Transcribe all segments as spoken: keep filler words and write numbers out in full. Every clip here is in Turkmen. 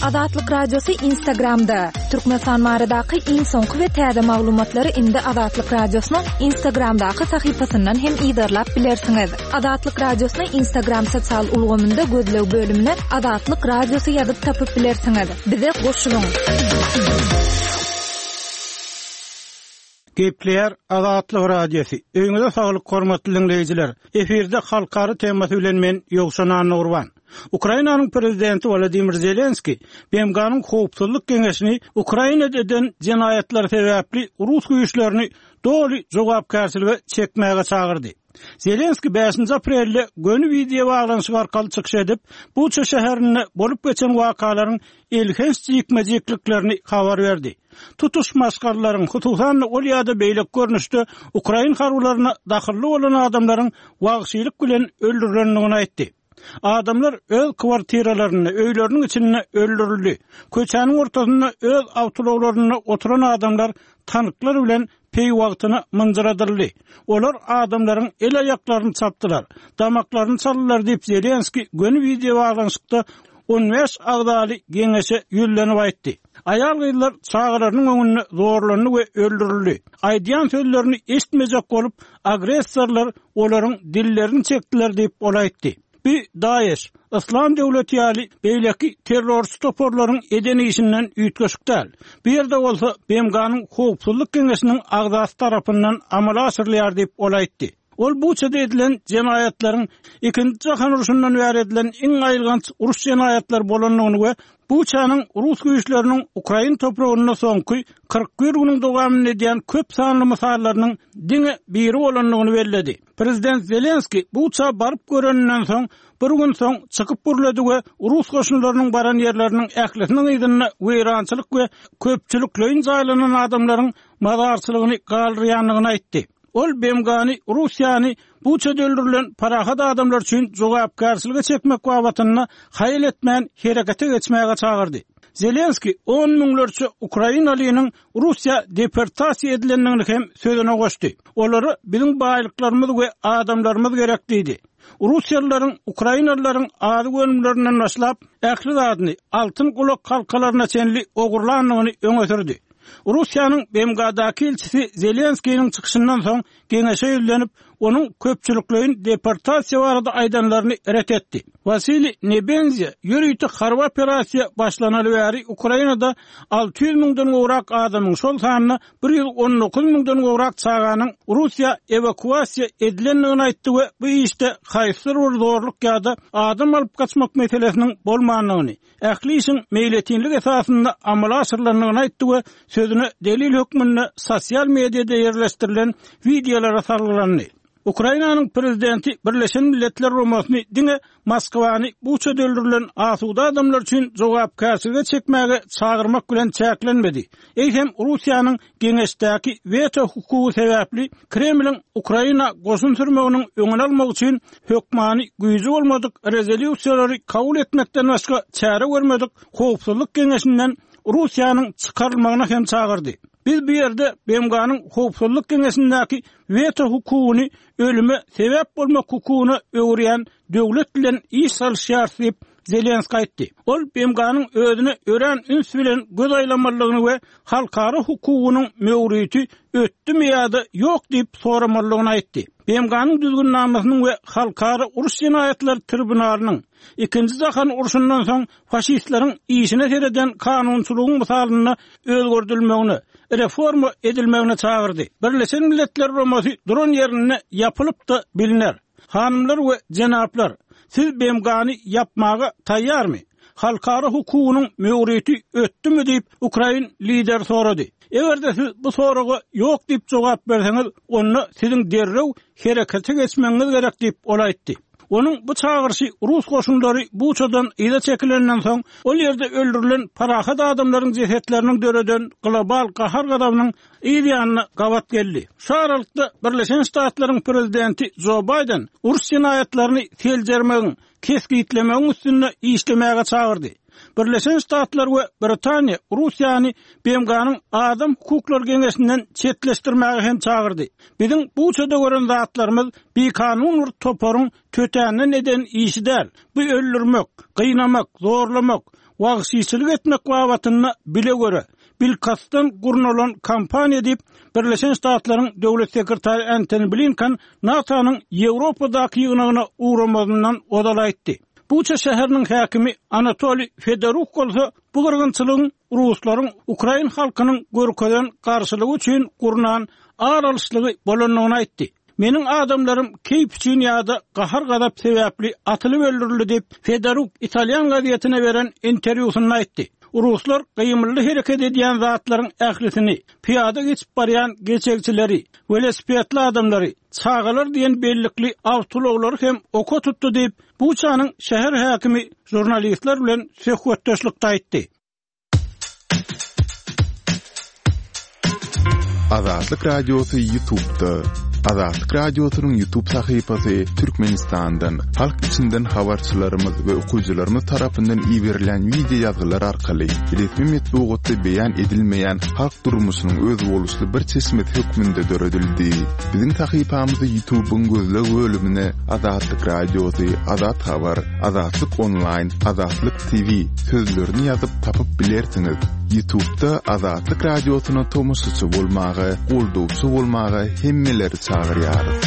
Azatlyk Radiosy Instagramda. Türkmenistan baradaky iň soňky we täze maglumatlary indi Azatlyk Radiosynyň Instagramdaky sahypasyndan hem yzarlap bilersiňiz. Azatlyk Radiosyny Instagram sosial ulgamynda gözleg bölümine Azatlyk Radiosy ýazyp tapyp bilersiňiz. Bize goşulyň. Gepleýär Azatlyk Radiosy. Öýüňize saglyk hormatly dinleýjiler. Efirde halkara temasy bilen men Ýowşan Annagurban. Ukrainanyň prezidenti Wladimir Zelenski B M G-nyň Howpsuzlyk Geňeşini Ukrainada eden jenaýatlary sebäpli rus güýçlerini doly jogapkärçilige çekmäge çagyrdy. Zelenski bäşinji aprelde göni wideo baglanyşyk arkaly çykyş edip, Buça şäherinde bolup geçen wakalaryň elhenç jikme-jikliklerini habar berdi. Tutuş maşgalalaryň, hususan-da ol ýa-da beýleki görnüşde ukrain harbylaryna dahylly bolan adamlaryň wagşylyk bilen öldürilendigini aýtdy. Adamlar öz kwartiralarynda, öýleriniň içinde öldürildi. Köçäniň ortasynda öz awtoulaglarynda oturan adamlar tanklar bilen peýwagtyna mynjyradyldy. Olar adamlaryň el-aýaklaryny çapdylar, damaklaryny çaldylar diýip Zelenski göni wideo baglanyşykda on bäş agzaly geňeşe ýüzlenip aýtdy. Aýal-gyzlar çagalarynyň öňünde zorlandy we öldürildi. Aýdýan sözlerini eşitmejek bolup, agressorlar olaryň dillerini çekdiler diýip ol aýtdy. Bir DAEŞ, Islam döwleti ýaly beýleki terrorçy toparlaryň eden işinden üýtgeşik däl. Bu ýerde bolsa B M G-nyň Howpsuzlyk Geňeşiniň agzasy tarapyndan amala aşyrylýar diýip ol aýtdy. Ol Buçada edilen jenaýatlaryň ikinji jahan urşundan bäri edilen iň aýylganç uruş jenaýatlary bolandygyny we Buçanyň rus güýçleriniň Ukrain topragynda soňky kyrk bir günüň dowamynda edýän köp sanly mysallarynyň diňe biri bolandygyny belledi. Prezident Zelenski Buça baryp göreninden soň bir gün soň çykyp gürledi we rus goşunlarynyň baran ýerleriniň ählisiniň yzynda weýrançylyk we köpçülikleýin jaýlanan adamlaryň mazarçylygyny galdyrýandygyny aýtdy. Ol B M G-ny Russiýany Buçada öldürilen parahat adamlar üçin jogapkärçilige çekmek babatynda haýal etmän herekete geçmäge çagyrdy. Zelenski on müňlerçe Ukrainalynyň Russiýa deportasiýa edilendigini hem sözüne goşdy. Olara biziň baýlyklarymyz we adamlarymyz gerek diýdi. Russiýalylaryň Ukrainalylaryň azyk önümlerinden başlap ähli zadyny altyn gulak halkalaryna çenli ogurlandygyny öňe sürdi. Russiýanyň B M G-daky ilçisi Zelenskiniň çykyşyndan soň geňeşe ýüzlenip, onuň köpçülikleýin deportasiýa barada aýdanlaryny ret etdi. Wasiliy Nebenzia ýörite harby operasiýa başlanaly bäri Ukrainada alty ýüz müňden gowrak adamyň, şol sanda bir ýüz on dokuz müňden gowrak çaganyň Russiýa ewakuasiýa edilendigini aýtdy we bu işde haýsydyr bir zorluk ýa-da adam alyp gaçmak meselesiniň bolmandygyny, ähli işiň meýletinlik esasynda amala aşyrylandygyny aýtdy we sözüne delil hökmünde sosial mediada ýerleşdirilen wideolara salgylandy. Ukrainanyň prezidenti Birleşen Milletler Guramasyny diňe Moskwany Buçada öldürilen asuda adamlar üçin jogapkärçilige çekmäge çagyrmak bilen çäklenmedi. Eýsem Russiýanyň geňeşdäki weto hukugy sebäpli Kremliň Ukraina goşun sürmeginiň öňüni almak üçin hökmany güýji bolmadyk rezolýusiýalary kabul etmekden başga çäre görmedik Howpsuzlyk Geňeşinden Russiýanyň çykarylmagyna hem çagyrdy. Biz bu ýerde B M G-nyň Howpsuzlyk Geňeşindäki weto hukugyny ölüme sebäp bolmak hukugyna öwürýän döwlet bilen iş salyşýar diýip Zelenski aýtdy. Ol B M G-nyň özüne örän üns bilen göz aýlamalydygyny we halkara hukugynyň möwriti ötdümi ýa-da ýok diýip soramalydygyny aýtdy. B M G-nyň düzgünnamasynyň we halkara uruş jenaýatlary tribunalynyň ikinji jahan urşundan soň faşistleriň işine sereden kanunçylygyň mysalynda özgerdilmegine, reforma edilmegine çagyrdy. Birleşen Milletler Guramasy duran ýerinde ýapylyp da biliner. Hanymlar we jenaplar, siz B M G-ny ýapmaga taýýarmy? Halkara hukugynyň möwriti ötdümi diýip Ukrain lideri sorady. Eger-de siz bu soraga ýok diýip jogap berseňiz, onda siziň derrew herekete geçmegiňiz gerek diýip ol aýtdy. Onuň bu çagyryşy rus goşunlary Buçadan yza çekilenden soň ol ýerde öldürilen parahat adamlaryň jesetleriniň döreden global gahar gazabynyň yz ýanyna gabat geldi. Şu aralykda Birleşen Ştatlaryň prezidenti Joe Biden uruş jenaýatlaryny seljermegiň, kesgitlemegiň üstünde işlemäge çagyrdy. Birleşen Ştatlar we Britaniýa Russiýany B M G-nyň Adam hukuklary geňeşinden çetleşdirmäge hem çagyrdy. Biziň Buçada gören zatlarymyz bikanun bir toparyň tötänden eden işi däl. Bu öldürmek, gynamak, zorlamak, wagşyçylyk etmek babatynda bile göre, bilkastdan gurnalan kampaniýa diýip, Birleşen Ştatlaryň döwlet sekretary Antony Blinken NATO-nyň Ýewropadaky ýygnagyna ugramazyndan ozal aýtdy. Buça şäheriniň häkimi Anatoliý Fedoruk bolsa bu gyrgynçylygyň ruslaryň Ukrain halkynyň görkezen garşylygy üçin gurnan ar alyşlygy bolandygyny aýtdy. Meniň adamlarym keýp üçin ýa-da gahar-gazap sebäpli atylyp öldürildi diýip, Fedoruk italýan gazetine beren interwýusynda aýtdy. Ruslar gymylly hereket edýän zatlaryň ählisini, pyýada geçip barýan geçegçileri, welosipedli adamlary, çagalar diýen bellikli awtoulaglary hem oka tutdy diýip, Buçanyň şäher häkimi žurnalistler bilen söhbetdeşlikde aýtdy. Azatlyk Radiosy YouTube'da. Azatlyk Radiosynyň YouTube sahypasy Türkmenistandan, halk içinden habarçylarymyz we okyjylarymyz tarapyndan iberilen wideo ýazgylar arkaly resmi metbugatda beýan edilmeýän halk durmuşynyň özboluşly bir çeşmesi hökmünde döredildi. Biziň sahypamyzy YouTube'yň gözleg bölümine Azatlyk Radiosy, Azat Habar, Azatlyk Online, Azatlyk T V sözlerini ýazyp tapyp bilersiňiz. YouTube'da Azatlyk Radiosyna tomaşaçy bolmaga, goldawçy bolmaga hemmeleri çagyrýarys.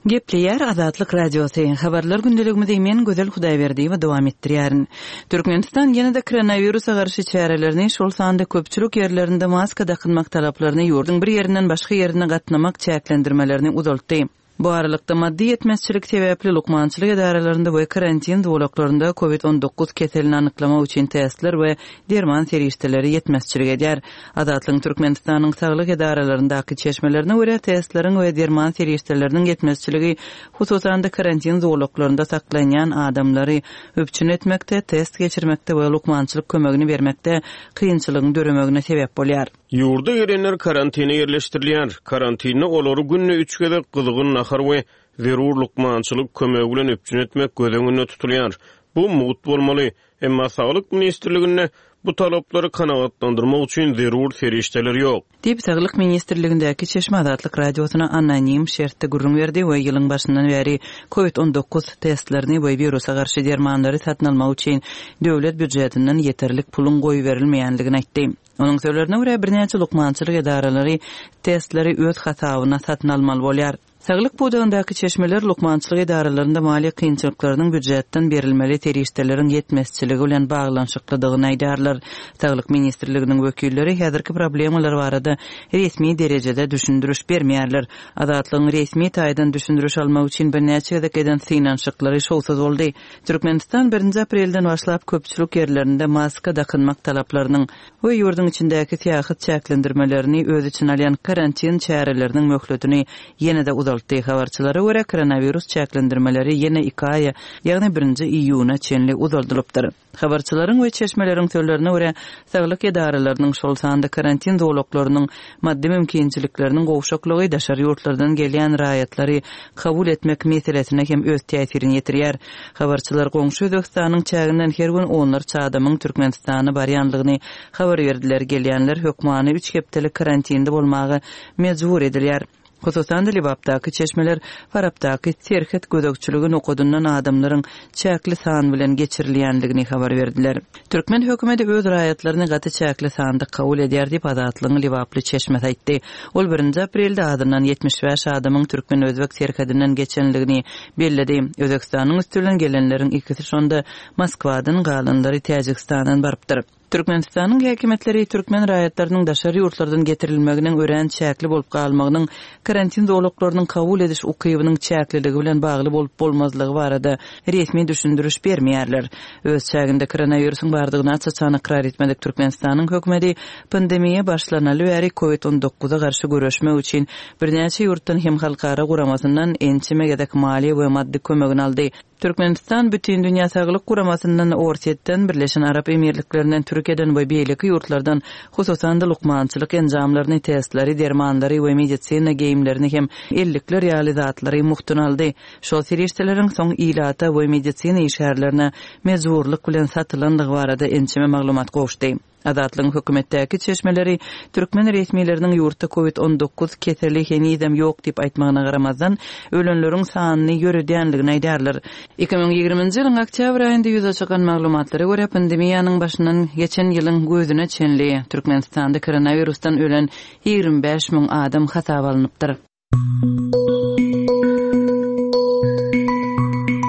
Gepleýär Azatlyk Radiosy. Habarlar gündeligimizi men Gözel Hudaýberdiýewa dowam etdirýärin. Türkmenistan ýene-de koronawirusa garşy çärelerini, şol sanda köpçülik ýerlerinde maska dakynmak talaplaryny, ýurduň bir ýerinden başga ýerine gatnamak çäklendirmelerini uzaltdy. Bu aralykda maddy ýetmezçilik sebäpli lukmançylyk edaralarynda we karantin zolaklarynda COVID on dokuz keselini anyklamak üçin testler we derman serişdeleri ýetmezçilik edýär. Azatlygyň Türkmenistanyň saglyk edaralaryndaky çeşmelerine görä testleriň we derman serişdeleriniň ýetmezçiligi hususan-da karantin zolaklarynda saklanýan adamlary üpjün etmekde, test geçirmekde we lukmançylyk kömegini bermekde kynçylygyň döremegine sebäp bolýar. Ýurda gelenler karantine ýerleşdirilýär. Karantinde olary günde üç gezek gyzgyn nahar we zerur lukmançylyk kömegi bilen üpjün etmek göz öňünde tutulýar. Bu mugt bolmaly. Emma Saglyk Ministrliginde bu talaplary kanagatlandyrmak üçin zerur serişdeler ýok. Diýip Saglyk Ministrligindäki Çeşme Azatlyk Radiosyna anonim şertde gürrüň berdi we ýylyň başyndan bäri COVID on dokuz testlerini we wirusa garşy dermanlary satyn almak üçin döwlet býujetinden ýeterlik puluň goýberilmeýändigini aýtdy. Onuň sözlerine görä birnäçe lukmançylyk edaralary testleri öz hasabyna satyn almaly bolýar. Saglyk pudagyndaky çeşmeler lukmançylyk edaralarynda maliýe kynçylyklarynyň býujetden berilmeli serişdeleriň ýetmezçiligi bilen baglanyşyklydygyny aýdarlar. Saglyk Ministrliginiň wekilleri häzirki problemalar barada resmi derejede düşündiriş bermeýärler. Azatlygyň resmi taýdan düşündiriş almak üçin birnäçe gezek eden synanyşyklary şowsuz boldy. Türkmenistan birinji aprelden başlap köpçülik ýerlerinde maska dakynmak talaplarynyň we ýurduň içindäki syýahat çäklendirmelerini öz içine alýan karantin çäreleriniň möhletini ýene-de uzaltdy. Habarçylara görä koronavirus çäklendirmeleri ýene iki aýa, ýagny birinji iýuna çenli uzaldylypdyr. Habarçylaryň we çeşmeleriň sözlerine görä saglyk edaralarynyň şol sanda karantin zolaklarynyň maddy mümkinçilikleriniň gowşaklygy daşary ýurtlardan gelýän raýatlary kabul etmek meselesine hem öz täsirini ýetirýär. Habarçylar goňşy Özbekistanyň çäginden her gün onlarça adamyň Türkmenistana barýanlygyny habar berdiler. Gelýänler hökmany üç hepdelik karantinde bolmaga mejbur edilýär. Hususan-da Lebapdaky çeşmeler Farapdaky serhet gözegçiligi nokadyndan adamlaryň çäkli san bilen geçirilýänligini habar berdiler. Türkmen hökümeti öz raýatlaryny gaty çäkli sanda kabul edýär diýip Azatlygyň Lebaply çeşmesi aýtdy. Ol birinji aprelde adyndan ýetmiş bäş adamyň Türkmen-Özbek serhedinden geçenligini belledi. Özbekistanyň üstü bilen gelenleriň ikisi şonda Moskwadan galanlary Täjikistandan barypdyr. Türkmenistanyň häkimiýetleri türkmen raýatlarynyň daşary ýurtlardan getirilmeginiň örän çäkli bolup galmagynyň karantin zolaklarynyň kabul ediş ukybynyň çäkliligi bilen bagly bolup bolmazlygy barada resmi düşündiriş bermeýärler. Öz çäginde koronawirusyň bardygyny aç-açan ykrar etmedik Türkmenistanyň hökümeti pandemiýa başlanaly bäri COVID on dokuza garşy göreşmek üçin birnäçe ýurtdan hem halkara guramasyndan ençeme gezek maliýe we maddy kömegini aldy. Türkmenistan Bütindünýä Saglyk Guramasyndan, Orsýetden, Birleşen Arap Emirliklerinden, Türkiýeden we beýleki ýurtlardan, hususan-da lukmançylyk enjamlaryny, testleri, dermanlary we medisina geýimlerini hem ellikler ýaly zatlary mugtuna aldy. Şol serişdeleriň soň ilata we medisina işgärlerine mejburlyk bilen satylandygy barada ençeme maglumat gowuşdy. Azatlygyň hökümetdäki çeşmeleri türkmen resmileriniň ýurtda Covid on dokuz keseli henizem ýok diýip aýtmagyna garamazdan, ölenleriň sanyny ýöredýänligini aýdarlar. Iki müň ýigriminji ýylyň oktýabr aýynda ýüze çykan maglumatlara görä, pandemiýanyň başyndan geçen ýylyň gözüne çenli Türkmenistanda koronavirusdan ölen ýigrimi bäş müň adam hasaba alnypdyr.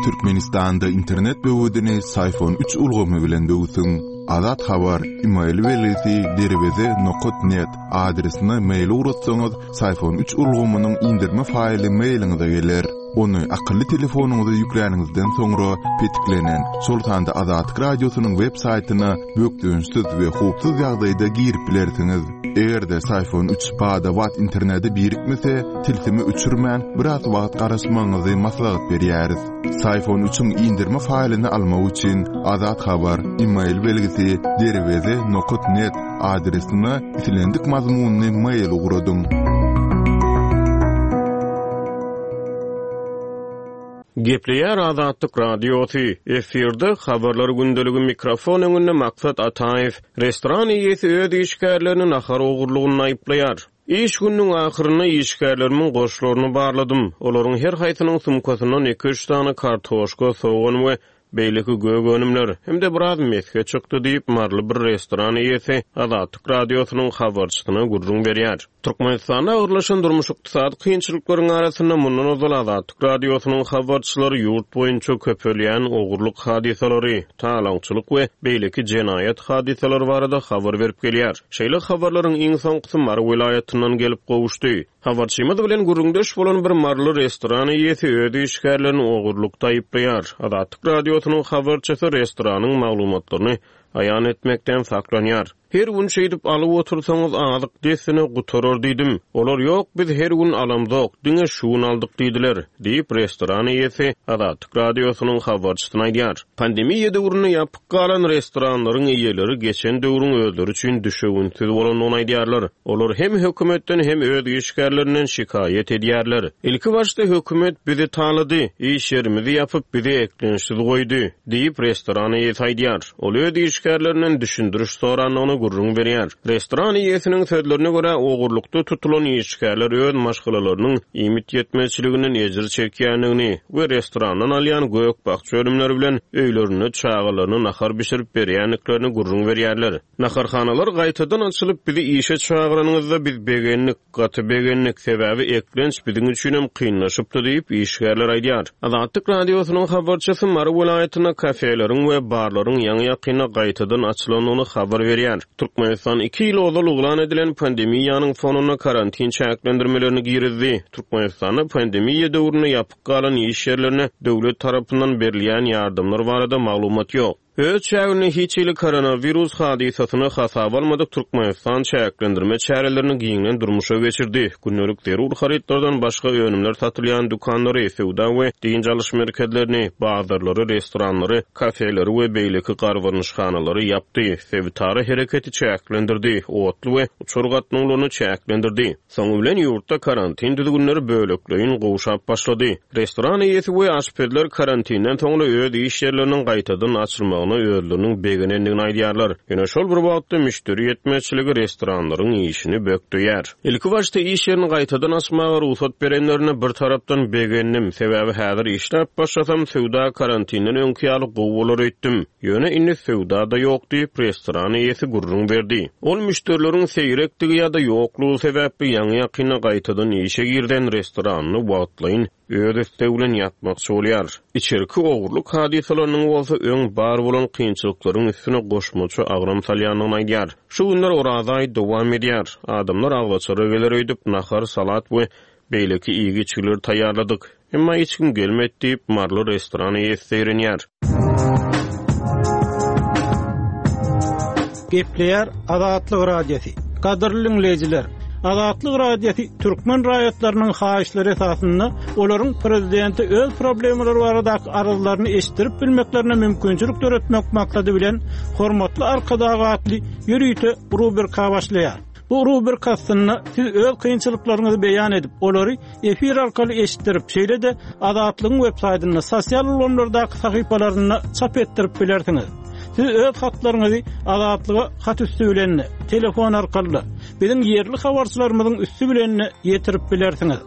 Türkmenistanda internet böwedini Syfon üç ulgamy bilen böwsüň. Azat Habar, e-mail belgisi derweze nokat net adresine mail ugratsaňyz, Syfon üç ulgamynyň indirme faýly mailiňize geler. Ony akylly telefonyňyza ýükläniňizden soňra petiklenen, şol sanda Azatlyk Radiosynyň web saýtyna bökdençsiz we howpsuz ýagdaýda girip bilersiňiz. Eger-de Syfon üç bada-bat internete birikmese, tilsimi öçürmän biraz wagt garaşmagyňyzy maslahat berýäris. Syfon üçiň indirme faýlyny almak üçin Azat Habar, e-mail belgisi derweze nokat net adresine islendik mazmunyny mail ugradyň. Gepleýär Azatlyk Radiosy. Efirde habarlar gündeligi mikrofon öňünde Maksat Ataýew. Restoran eýesi öz işgärlerini nahar ogurlygyny aýyplaýar. Iş gününiň ahyrynda işgärlerimiň goşlaryny barladym. Olaryň her haýsynyň sumkasyndan iki üç sany kartoşka, sogan we beýleki gök önümler hem-de biraz mesge çykdy diýip Maryly bir restoran eýesi Azatlyk Radiosynyň habarçysyna gürrüň berýär. Türkmenistanda agyrlaşan durmuş ykdysady kynçylyklaryň arasynda mundan ozal Azatlyk Radiosynyň habarçylary ýurt boýunça köpelýän ogurlyk hadysalary, talaňçylyk we beýleki jenaýat hadysalary barada habar berip gelýär. Şeýle habarlaryň iň soňkusy Mary welaýatyndan gelip gowuşdy. Habarçymyz bilen gürrüňdeş bolan bir Maryly restoran eýesi öz işgärlerini ogurlykda aýyplaýar. Azatlyk Radiosynyň habarçysy restoranyň maglumatlaryny aýan etmekden saklanýar. Her gün şeýdip alyp otursaňyz azyk dessine gutarar diýdim. Olar ýok, biz her gün alamzok, diňe şu gün aldyk diýdiler, diýip restoran eýesi Azatlyk Radiosynyň habarçysyna aýdýar. Pandemiýa döwründe ýapyk galan restoranlaryň eýeleri geçen döwrüň özleri üçin düşewünsiz bolandygyny aýdýarlar. Olar hem hökümetden hem öz işgärlerinden şikaýat edýärler. Ilki başda hökümet bizi talady, iş ýerimizi ýapyp bizi eklençsiz goýdy, diýip restoran eýesi aýdýar. Ol öz işgärlerinden düşündiriş sorandygyny gürrüň berýär. Restoran eýesiniň sözlerine görä, ogurlykda tutulan işgärler öz maşgalalarynyň iýmit ýetmezçiliginden ejir çekýändigini we restorandan alýan gök-bakja önümleri bilen öýlerinde çagalaryna nahar bişirip berýändiklerini gürrüň berýärler. Naharhanalar gaýtadan açylyp bizi işe çagyranyňyzda biz begendik, gaty begendik, sebäbi eklenç biziň üçinem kynlaşypdy diýip işgärler aýdýar. Azatlyk Radiosynyň habarçysy Mary welaýatynda kafeleriň we barlaryň ýaňy-ýakynda gaýtadan açylandygyny habar berýär. Türkmenistan iki ýyl ozal yglan edilen pandemiýanyň fonunda karantin çäklendirmelerini girizdi. Türkmenistanda pandemiýa döwründe ýapyk galan iş ýerlerine döwlet tarapyndan berilýän ýardamlar barada maglumat ýok. Öz çäginde hiç hili koronavirus hadysasyny hasaba almadyk Türkmenistan çäklendirme çärelerini giňden durmuşa geçirdi. Gündelik zerur harytlardan başga önümler satylýan dükanlary, söwda we dynç alyş merkezlerini, bazarlary, restoranlary, kafeleri we beýleki garbarnyşhanalary ýapdy. Sebitara hereketi çäklendirdi, otly we uçar gatnawlaryny çäklendirdi. Soňy bilen ýurtda karantin düzgünleri bölekleýin gowşap başlady. Restoran eýesi we aşpezler karantinden soňra öz iş ýerleriniň gaýtadan açylmagyna özleriniň begenendigini aýdýarlar. Ýöne şol bir wagtda müşderi ýetmezçiligi restoranlaryň işini bökdeýär. Ilki başda iş ýerini gaýtadan açmaga rugsat berenlerine bir tarapdan begendim. Sebäbi häzir işläp başlasam söwda karantinden öňki ýaly gowy bolar öýtdüm. Ýöne indi söwda da ýok diýip restoran eýesi gürrüň berdi. Ol müşderileriň seýrekdigi ýa-da ýoklugy sebäpli ýaňy-ýakynda gaýtadan işe girden restoranyny wagtlaýyn öz islegi bilen ýapmakçy bolýar. Içerki ogurlyk hadysalarynyň bolsa öň bar bolan kynçylyklaryň üstüne goşmaça agram salýandygyny aýdýar. Şu günler Oraza aýy dowam edýär. Adamlar agzaçara geler öýdüp nahar, salat we beýleki iýgi-içgileri taýýarladyk. Emma hiç kim gelmedi diýip Maryly restoran eýesi seýrenýär. Gepleýär Azatlyk Radiosy. Gadyrly dinleýjiler, Azatlyk Radiosy türkmen raýatlarynyň haýyşlary esasynda olaryň prezidente öz problemalary baradaky arzlaryny eşitdirip bilmeklerine mümkinçilik döretmek maksady bilen Hormatly Arkadag atly ýörite rubrika başlaýar. Bu rubrika astynda siz öz kynçylyklaryňyzy beýan edip, olary efir arkaly eşitdirip, şeýle-de Azatlygyň web saýtynda, sosial ulgamlardaky sahypalarynda çap etdirip bilersiňiz. Siz öz hatlaryňyzy Azatlyga hat üsti bilen, telefon arkaly, biziň ýerli habarçylarymyzyň üsti bilen ýetirip bilersiňiz.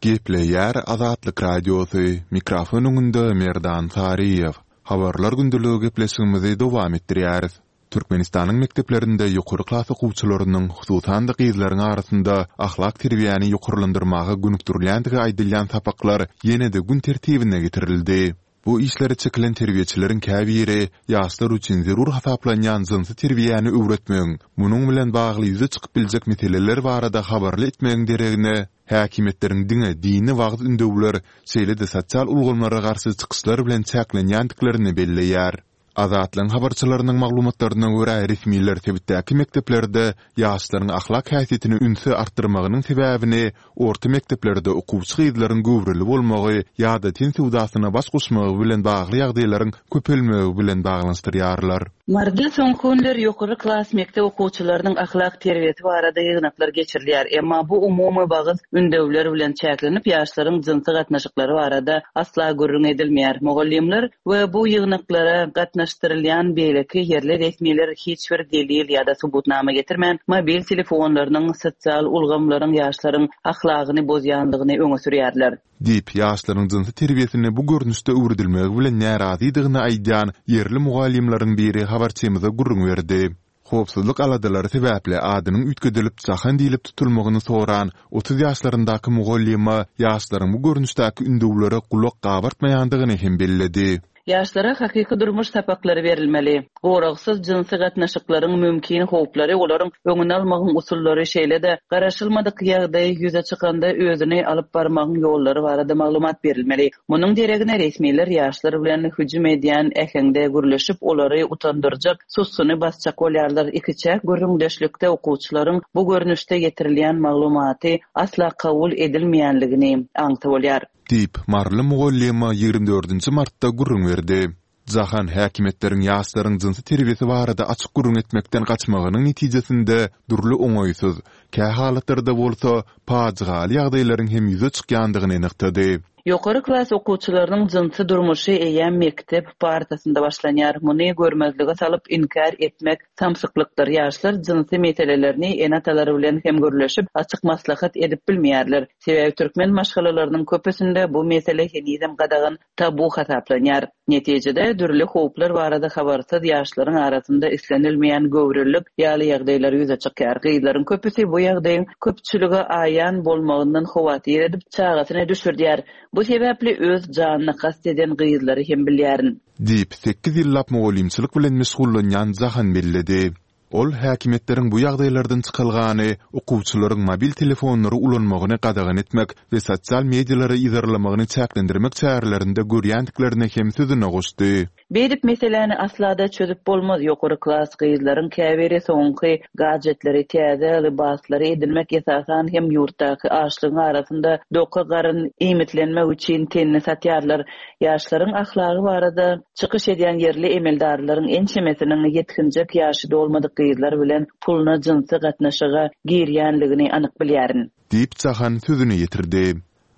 Gepleýär Azatlyk Radiosy, mikrofon öňünde Merdan Saryýew. Habarlar gündeligi gepleşigimizi dowam etdirýäris. Türkmenistanyň mekdeplerinde ýokary klas okuwçylarynyň, hususan-da gyzlaryň arasynda ahlak terbiýäni ýokarlandyrmaga gönükdirilýändigi aýdylýan sapaklar ýene-de gün tertibine getirildi. Bu işlere çekilen terbiýeçileriň käbiri ýaşlar üçin zerur hasaplanýan jynsy terbiýäni öwretmegiň, munuň bilen bagly ýüze çykyp biljek meseleler barada habarly etmegiň deregine, häkimiýetleriň diňe dini wagyz-ündewler, şeýle-de sosial ulgamlara garşy çykyşlar bilen çäklenýändiklerini belleýär. Azatlygyň habarçylarynyň maglumatlaryna görä, resmiler sebitdäki mekdeplerde ýaşlaryň ahlak häsiýetini ünsi artdyrmagynyň sebäbini orta mekdeplerde okuwçy gyzlaryň göwreli bolmagy ýa-da ten söwdasyna baş goşmagy bilen bagly ýagdaýlaryň köpelmegi bilen baglanyşdyrýarlar. Maryda soňky günler ýokary klas mekdep okuwçylarynyň ahlak terbiýesi barada ýygnaklar geçirilýär. Emma bu umumy wagyz ündewler bilen çäklenip, ýaşlaryň jynsy gatnaşyklary barada asla gürrüň edilmeýär. Mugallymlar we bu ýygnaklara gatnaşdyrylýan beýleki ýerli resmiler hiç bir delil ýa-da subutnama getirmän, mobil telefonlarynyň, sosial ulgamlaryň ýaşlaryň ahlagyny bozýandygyny öňe sürýärler. Diýip, ýaşlaryň jynsy terbiýesini bu görnüşde öwredilmegi bilen närazydygyny aýdýan ýerli mugallymlaryň biri habarçymyza gürrüň berdi. Howpsuzlyk aladalary sebäpli adynyň üýtgedilip Jahan diýlip tutulmagyny soran otuz ýaşlaryndaky mugallyma ýaşlaryň bu görnüşdäki ündewlere gulak gabartmaýandygyny hem belledi. Ýaşlara hakyky durmuş sapaklary berilmeli. Goragsyz jynsy gatnaşyklaryň mümkin howplary, olaryň öňüni almagyň usullary, şeýle-de garaşylmadyk ýagdaý ýüze çykanda özüni alyp barmagyň ýollary barada maglumat berilmeli. Munuň deregine resmiler ýaşlar bilen hüjüm edýän äheňde gürleşip, olary utandyrjak, sussuny basjak bolýarlar. Ikiçäk gürrüňdeşlikde okuwçylaryň bu görnüşde ýetirilýän maglumaty asla kabul edilmeýänligini aňsa bolýar. Diýip, maryly mugallyma ýigrimi dördünji martda gürrüň berdi. Jahan häkimiýetleriň ýaşlaryň jynsy terbiýesi barada açyk gürrüň etmekden gaçmagynyň netijesinde dürli oňaýsyz, kähalatlarda bolsa pajygaly ýagdaýlaryň hem ýüze çykýandygyny nygtady. Ýokary klas okuwçylarynyň jynsy durmuşy eýýäm mekdep partasynda başlanýar. Muny görmezlige salyp inkär etmek samsyklykdyr. Ýaşlar jynsy meselelerini ene-atalary bilen hem gürleşip, açyk maslahat edip bilmeýärler. Sebäbi türkmen maşgalalarynyň köpüsinde bu mesele henizem gadagan tabu hasaplanýar. Netijede dürli howplar barada habarsyz ýaşlaryň arasynda islenilmeýän göwrelilik ýaly ýagdaýlar ýüze çykýar. Gyzlaryň köpüsi bu ýagdaýyň köpçülige aýan bolmagyndan howatyr edip, çagasyny düşürdýär. Bu sebäpli öz janyna kast eden gyzlary hem bilýärin. Diýip, sekiz ýyllap mugallymçylyk bilen meşgullanýan Jahan belledi. Ol häkimiýetleriň bu ýagdaýlardan çykalgany okuwçylaryň mobil telefonlary ulanmagyny gadagan etmek we sosial medialary yzarlamagyny çäklendirmek çärelerinde görýändiklerini hem sözüne goşdy. Beýdip meseläni asla-da çözüp bolmaz. Ýokary klas gyzlaryň käbiri soňky gadjetleri, täze lybaslary edinmek esasan hem ýurtdaky açlygyň arasynda doka garyn iýmitlenmek üçin tenini satýarlar. Ýaşlaryň ahlagy barada çykyş edýän ýerli emeldarlaryň ençemesiniň ýetginjek ýaşy dolmadyk gyzlar bilen puluna jynsy gatnaşyga girýänligini anyk bilýärin. Diýip, Jahan sözüni ýetirdi.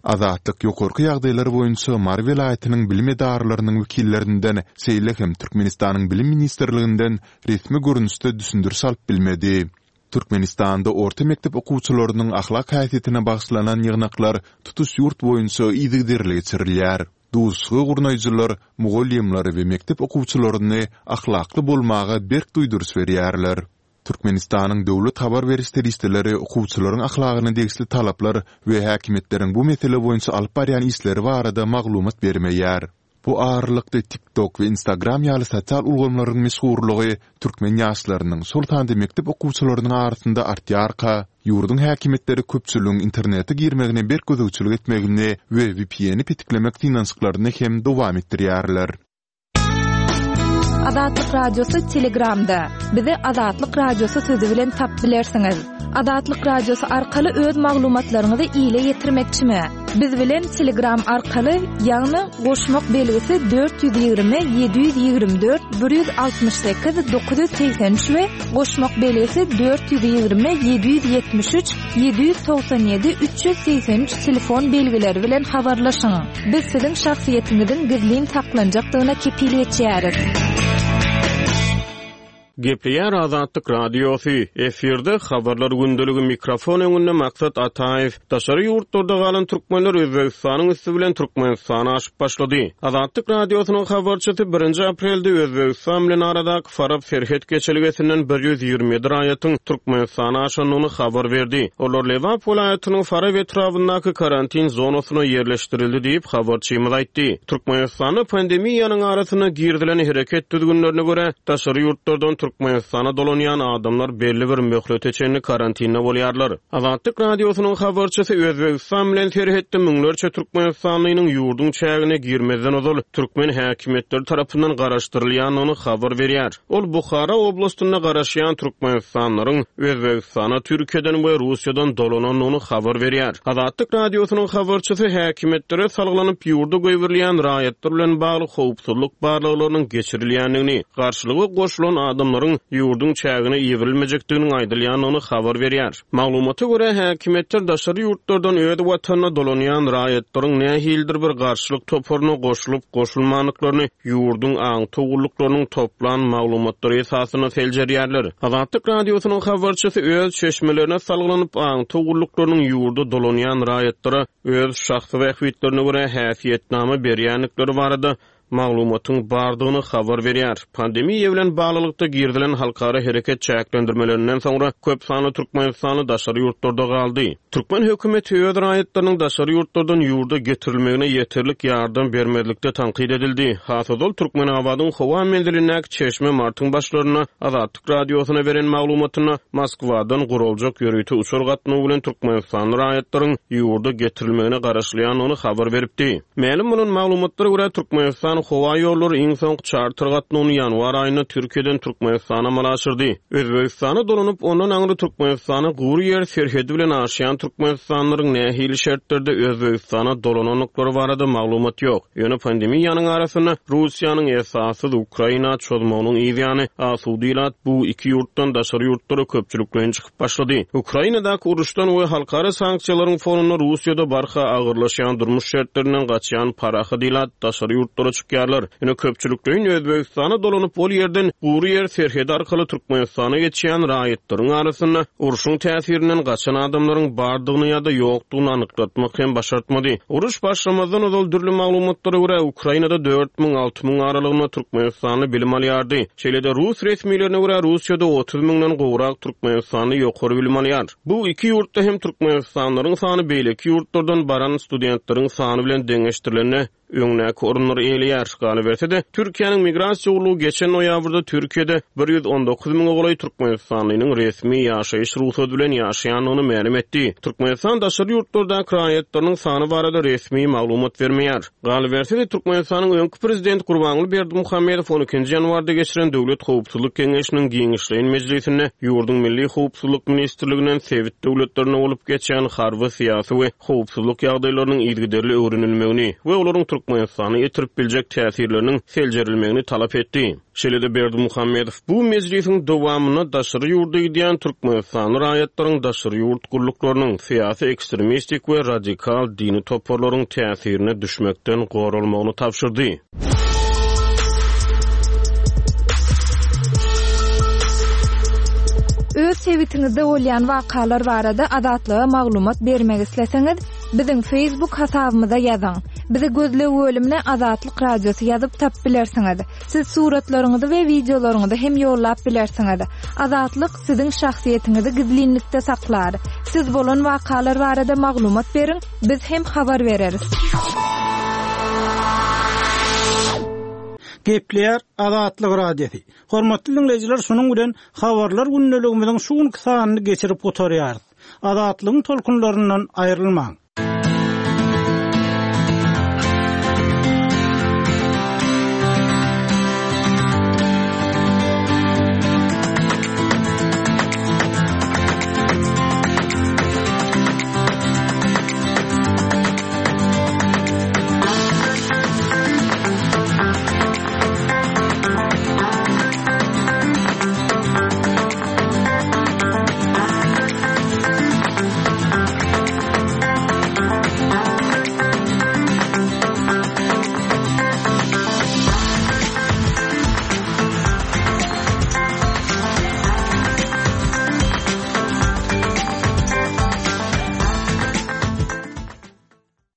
Azatlyk ýokarky ýagdaýlar boýunça Mary welaýatynyň bilim edaralarynyň wekillerinden, şeýle hem Türkmenistanyň Bilim ministrliginden resmi görnüşde düşündiriş alyp bilmedi. Türkmenistanda orta mekdep okuwçylarynyň ahlak häsiýetine bagyşlanan ýygnaklar tutuş ýurt boýunça yzygiderli geçirilýär. Duşuşygy gurnaýjylar mugallymlary we mekdep okuwçylaryny ahlakly bolmaga berk duýduryş berýärler. Türkmenistanyň döwlet habar beriş serişdeleri okuwçylaryň ahlagyna degişli talaplar we häkimiýetleriň bu mesele boýunça alyp barýan işleri barada maglumat bermeýär. Bu aralykda TikTok we Instagram ýaly sosial ulgamlaryň meşhurlygy türkmen ýaşlarynyň, şol sanda mekdep okuwçylarynyň arasynda artýarka, ýurduň häkimiýetleri köpçüligiň internete girmegine berk gözegçilik etmegini we V P N-i petiklemek synanyşyklaryny hem dowam etdirýärler. Azatlyk Radiosy Telegramda. Bizi Azatlyk Radiosy sözi bilen tapyp bilersiňiz. Azatlyk Radiosy arkaly öz maglumatlaryňyzy ile ýetirmekçimi? Biz bilen Telegram arkaly, ýagny goşmak belgisi dört ýüz ýigrimi ýedi ýüz ýigrimi dört bir ýüz altmyş sekiz dokuz ýüz segsen üç we goşmak belgisi dört ýüz ýigrimi ýedi ýüz ýetmiş üç ýedi ýüz togsan ýedi üç ýüz segsen üç telefon belgileri bilen habarlaşyň. Biz siziň şahsyýetiňiziň gizlin saklanjakdygyna kepil geçýäris. Gepleýär Azatlyk Radiosy. Efirde habarlar gündeligi mikrofon öňünde Maksat Ataýew. Daşary ýurtlarda galan türkmenler Özbegistanyň üsti bilen Türkmenistana aşyp başlady. Azatlyk Radiosynyň habarçysy birinji aprelde Özbegistan bilen aradaky Farap serhet geçelgesinden bir ýüz ýigrimi ýedi raýatyň Türkmenistana aşandygyny habar berdi. Olar Lebap welaýatynyň Farap etrabyndaky karantin zonasyna ýerleşdirildi diýip habarçymyz aýtdy. Türkmenistanda pandemiýanyň arasynda girizilen hereket düzgünlerine görä daşary ýurtlardan Türkmenistana dolanýan adamlar belli bir möhlete çenli karantinde bolýarlar. Azatlyk Radiosynyň habarçysy Özbegistan bilen serhetde müňlerçe Türkmenistanlynyň ýurduň çägine girmezden ozal türkmen häkimiýetleri tarapyndan garaşdyrylýandygyny habar berýär. Ol Buhara oblastynda garaşýan Türkmenistanlaryň Özbegistana Türkiýeden we Russiýadan dolanandygyny habar berýär. Azatlyk Radiosynyň habarçysy häkimiýetlere salgylanyp ýurda goýberilýän raýatlar bilen bagly howpsuzlyk barlaglarynyň geçirilýändigini, garşylyga goşulan adamlaryň ýurduň çägine ýetirilmejekdiginiň aýdylýandygyny habar berýär. Maglumata görä häkimiýetler daşary ýurtlardan öz watanyna dolanýan raýatlaryň nähilidir bir garşylyk toparyna goşulyp goşulmandyklaryny ýurduň aňtaw gulluklarynyň toplan maglumatlary esasynda seljerýärler. Azatlyk Radiosynyň habarçysy öz çeşmelerine salgylanyp aňtaw gulluklarynyň ýurda dolanýan raýatlara öz şahsy bähbitlerine görä häsiýetname berýändikleri barada maglumatyň bardygyny habar berýär. Pandemiýa bilen baglylykda girizilen halkara hereket çäklendirmelerinden soňra köp sanly Türkmenistanly daşary ýurtlarda galdy. Türkmen hökümeti öz raýatlarynyň daşary ýurtlardan ýurda getirilmegine ýeterlik ýardam bermezlikde tankyt edildi. Has ozal Türkmenabadyň howa menzilindäki çeşme martyň başlarynda Azatlyk Radiosyna beren maglumatynda Moskwadan guraljak ýörite uçar gatnawy bilen Türkmenistanly raýatlaryň ýurda getirilmegine garaşylýandygyny habar beripdi. Mälim bolan maglumatlara görä Türkmenistan howa ýollary iň soňky çarter gatnawyny ýanwar aýynda Türkiýeden Türkmenistana amala aşyrdy. Özbegistana dolanyp ondan aňry Türkmenistana gury ýer serhedi bilen aşýan Türkmenistanlylaryň nähili şertlerde Özbegistana dolanandyklary barada maglumat ýok. Ýöne pandemiýanyň arasynda Russiýanyň esassyz Ukraina çozmagynyň ýany asuda ilat bu iki ýurtdan daşary ýurtlara köpçülikleýin çykyp başlady. Ukrainadaky uruşdan we halkara sanksiýalaryň fonunda Russiýada barha agyrlaşýan durmuş şertlerinden gaçýan parahat ilat daşary ýurtlara çykýarlar. Ýöne köpçülikleýin Özbegistana dolanyp ol ýerden gury ýer serhedi arkaly Türkmenistana geçýän raýatlaryň arasynda uruşyň täsirinden gaçan adamlaryň bardygyny ýa-da ýokdugyny anyklatmak hem başartmady. Uruş başlamazdan ozal dürli maglumatlara görä Ukrainada dört müň alty müň aralygynda Türkmenistanly bilim alýardy. Şeýle-de Rus resmilerine görä Russiýada otuz müňden gowrak Türkmenistanly ýokary bilim alýar. Bu iki ýurtda hem Türkmenistanlylaryň sany beýleki ýurtlardan baran studentleriň sany bilen deňeşdirilende öňdäki orunlary eýeleýär. Galyberse-de, Türkiýäniň migrasiýa gullugy geçen noýabrda Türkiýede bir ýüz on dokuz müňe golaý Türkmenistanlynyň resmi ýaşaýyş rugsady bilen ýaşaýandygyny mälim etdi. Türkmenistan daşary ýurtlardaky raýatlarynyň sany barada resmi maglumat bermeýär. Galyberse-de, Türkmenistanyň öňki prezidenti Gurbanguly Berdimuhamedow on ikinji ýanwarda geçiren Döwlet Howpsuzlyk Geňeşiniň giňişleýin mejlisinde ýurduň Milli Howpsuzlyk Ministrliginden sebit döwletlerine bolup geçen harby, syýasy we howpsuzlyk ýagdaýlarynyň yzygiderli öwrenilmegini we olaryň Türkmenistana ýetirip biljek täsirleriniň seljerilmegini talap etdi. Şeýle-de Berdimuhamedow bu mejlisiň dowamynda daşary ýurda gidýän Türkmenistanly raýatlaryň daşary ýurt gulluklarynyň syýasy ekstremistik we radikal dini toparlaryň täsirine düşmekden goralmagyny tabşyrdy. Öz sebitiňizde bolýan wakalar barada Azatlyga maglumat bermek isleseňiz, biziň Facebook hasabymyza ýazyň. Bizi gözleg bölümine Azatlyk Radiosy ýazyp tapyp bilersiňiz. Siz suratlaryňyzy we wideolaryňyzy hem ýollap bilersiňiz. Azatlyk siziň şahsyýetiňizi gizlinlikde saklar. Siz bolan wakalar barada maglumat beriň, biz hem habar bereris. Gepleýär Azatlyk Radiosy. Hormatly dinleýjiler, şunuň bilen habarlar gündeligimiziň şu günki sanyny geçirip gutarýarys. Azatlygyň tolkunlaryndan aýrylmaň.